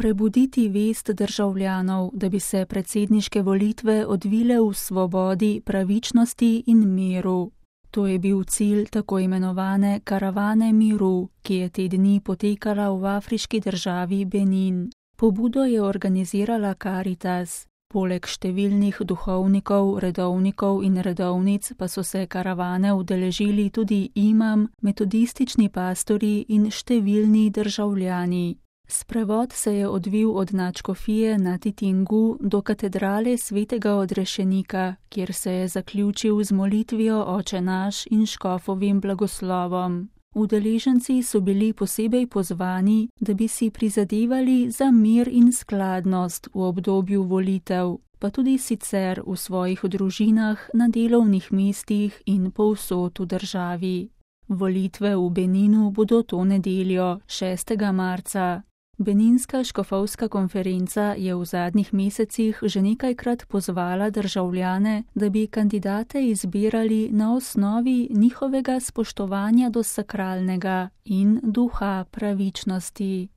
Prebuditi vest državljanov, da bi se predsedniške volitve odvile v svobodi, pravičnosti in miru. To je bil cilj tako imenovane karavane miru, ki je te dni potekala v afriški državi Benin. Pobudo je organizirala Caritas. Poleg številnih duhovnikov, redovnikov in redovnic pa so se karavane udeležili tudi imam, metodistični pastori in številni državljani. Sprevod se je odvil od nadškofije na Titingu do katedrale svetega Odrešenika, kjer se je zaključil z molitvijo Oče naš in škofovim blagoslovom. Udeleženci so bili posebej pozvani, da bi si prizadevali za mir in skladnost v obdobju volitev, pa tudi sicer v svojih družinah, na delovnih mestih in povsod v državi. Volitve v Beninu bodo to nedeljo, 6. marca. Beninska škofovska konferenca je v zadnjih mesecih že nekajkrat pozvala državljane, da bi kandidate izbirali na osnovi njihovega spoštovanja do sakralnega in duha pravičnosti.